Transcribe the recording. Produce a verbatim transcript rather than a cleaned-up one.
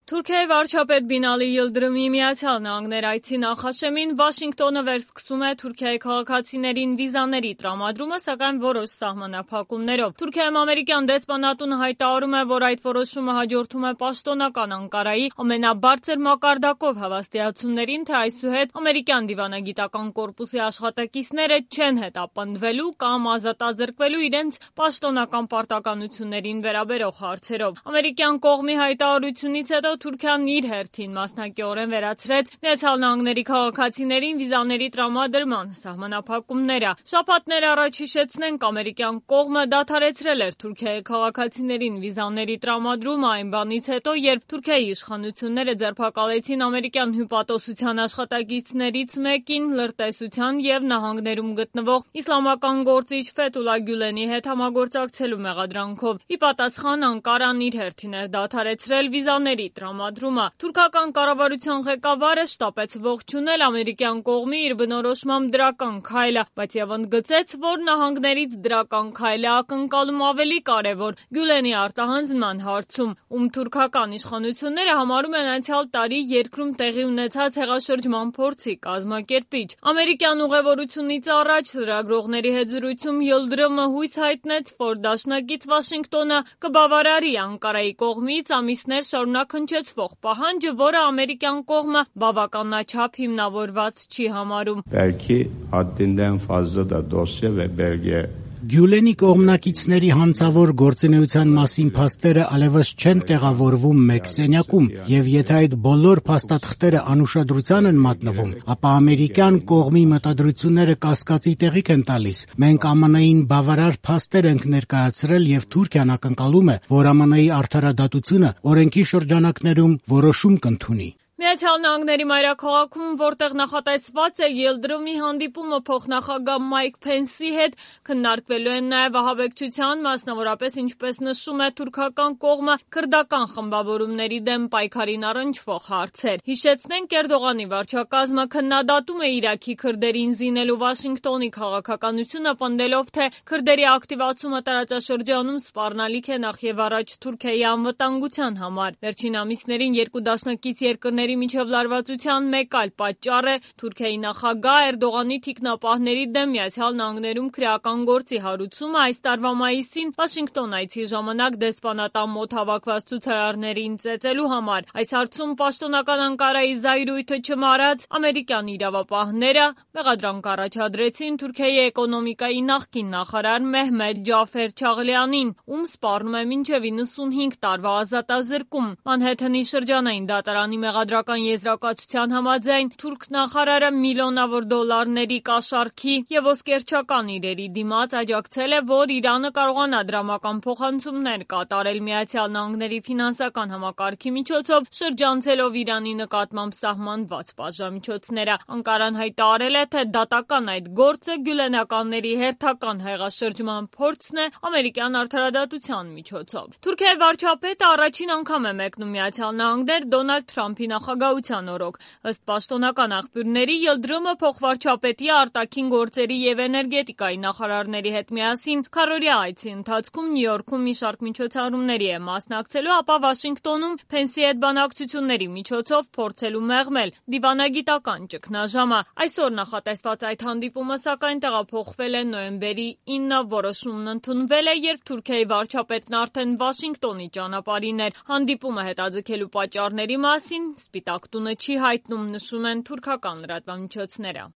Թուրքիայի վարչապետ Բինալի Յիլդրիմի Միացյալ Նահանգներ այցի նախաշեմին Վաշինգտոնը վերսկսում է Թուրքիայի քաղաքացիներին վիզաների տրամադրումը, սակայն որոշ սահմանափակումներով։ Թուրքիայում ամերիկյան դեսպանատունը հայտարարում է, որ այդ որոշումը հաջորդում է պաշտոնական Անկարայի ամենաբարձր մակարդակով հավաստիացումներին, թե այսուհետ ամերիկյան դիվանագիտական կորպուսի աշխատակիցները չեն հետապնդվելու կամ ազատազրկվելու իրենց պաշտոնական պարտականություններին վերաբերող հարցերով։ Ամերիկյան կողմի հայտարարությունից հետո Թուրքիան իր հերթին մասնակիորեն վերացրեց Միացյալ Նահանգների քաղաքացիներին վիզաների տրամադրման սահմանափակումները։ Շաբաթներ առաջ հիշեցնենք, ամերիկյան կողմը դադարեցրել էր Թուրքիայի քաղաքացիներին վիզաների տրամադրումը այն բանից հետո, երբ Թուրքիայի իշխանությունները ձերբակալեցին ամերիկյան հյուպատոսության աշխատակիցներից մեկին լրտեսության և նահանգներում գտնվող իսլամական գործիչ Ֆեթուլա Գյուլենի հետ համագործակցելու մեղադրանքով։ Ի պատասխան Անկարան իր հերթին էր դադարեցրել վիզաների տրամադրումը։ Թուրքական կառավարության ղեկավարը շտապեց ողջունել ամերիկյան կողմի իր բնորոշմամբ դրական քայլը, բայց եւ ընդգծեց, որ նահանգներից դրական քայլը ակնկալում ավելի կարևոր Գյուլենի արտահանձնման հարցում, ում թուրքական իշխանությունները համարում են անցյալ տարի երկրում տեղի ունեցած հեղաշրջման փորձի կազմակերպիչ։ Ամերիկյան ուղևորությունից առաջ լրագրողների հետ զրույցում Յիլդրիմը հույս հայտնեց, որ դաշնակից Վաշինգտոնը կբավարարի Անկարայի կողմից ամիսներ շարունակ հնչեցվող պահանջը, որը ամերիկյան կողմը բավականաչափ հիմնավորված չի համարում։ Belki haddinden fazla da dosya ve belge Գյուլենի կողմնակիցների հանցավոր գործունեության մասին փաստերը allevas չեն տեղավորվում մեկ սենյակում, եւ եթե այդ բոլոր փաստաթղթերը անուշադրության են մատնվում, ապա ամերիկյան կողմի մտադրությունները կասկածի տեղիք են տալիս։ Մենք Ամն Ին բավարար փաստեր ենք ներկայացրել եւ Թուրքիան ակնկալում է, որ Ամն Ի արդարադատությունը օրենքի շրջանակներում որոշում կընդունի։ Միացյալ Նահանգների մայրաքաղաքում, որտեղ նախատեսված է Յիլդրիմի հանդիպումը փոխնախագահ Մայք Փենսի հետ, քննարկվելու են նաև ահաբեկչության, մասնավորապես ինչպես նշում է թուրքական կողմը, քրդական խմբավորումների դեմ պայքարին առնչվող հարցեր։ Հիշեցնենք, Էրդողանի վարչակազմը քննադատում է Իրաքի քրդերին զինելու Վաշինգտոնի քաղաքականությունը, պնդելով, թե քրդերի ակտիվացումը տարածաշրջանում սպառնալիք է նախ եւ առաջ Թուրքիայի անվտանգության համար։ Վերջին ամիսներին երկու դաշնակից երկրների միջև լարվածության մեկ այլ պատճառ է Թուրքիայի նախագահ Էրդողանի թիկնապահների դեմ Միացյալ Նահանգներում քրեական գործի հարուցումը։ Այս տարվա մայիսին Վաշինգտոն այցի ժամանակ դեսպանատան մոտ հավաքված ցուցարարներին ծեծելու համար։ Այս հարցում պաշտոնական Անկարայի զայրույթը չմարած ամերիկյան իրավապահները մեղադրանք առաջադրեցին Թուրքիայի էկոնոմիկայի նախկին նախարար Մեհմեդ Ջաֆեր Չաղլյանին, ում սպառնում է մինչև իննսունհինգ տարվա ազատազրկում։ Մանհեթենի շրջանային դատարանի մեղադրական եզրակացության համաձայն թուրք նախարարը միլիոնավոր դոլարների կաշառքի եւ ոսկերչական իրերի դիմաց աջակցել է, որ Իրանը կարողանա դրամական փոխանցումներ կատարել Միացյալ Նահանգների ֆինանսական համակարգի միջոցով, շրջանցելով Իրանի նկատմամբ սահմանված պատժամիջոցները։ Անկարան հայտարարել է, թե դատական այդ գործը գյուլենականների հերթական հեղաշրջման փորձն է ամերիկյան արդարադատության միջոցով։ Թուրքիայի վարչապետը առաջին անգամ է մեկնում Միացյալ Նահանգներ Դոնալդ Թրամփի նախագահության օրոք։ Ըստ պաշտոնական աղբյուրների, Յիլդրիմը փոխվարչապետի արտաքին գործերի եւ էներգետիկայի նախարարների հետ միասին քառօրյա այցի ընթացքում Նյու Յորքում մի շարք միջոցառումների է մասնակցելու, ապա Վաշինգտոնում Փենսի հետ բանակցությունների միջոցով փորձելու մեղմել դիվանագիտական ճգնաժամը։ Այսօր նախատեսված այդ հանդիպումը սակայն տեղափոխվել է նոյեմբերի ինը, որոշումն ընդունվել է, երբ Թուրքիայի վարչապետն արդեն Վաշինգտոնի ճանապարհին էր։ Հանդիպումը հետաձգելու պատճառների մասին Սպիտակ տունը չի հայտնում, նշում են թուրքական լրատվամիջոցները։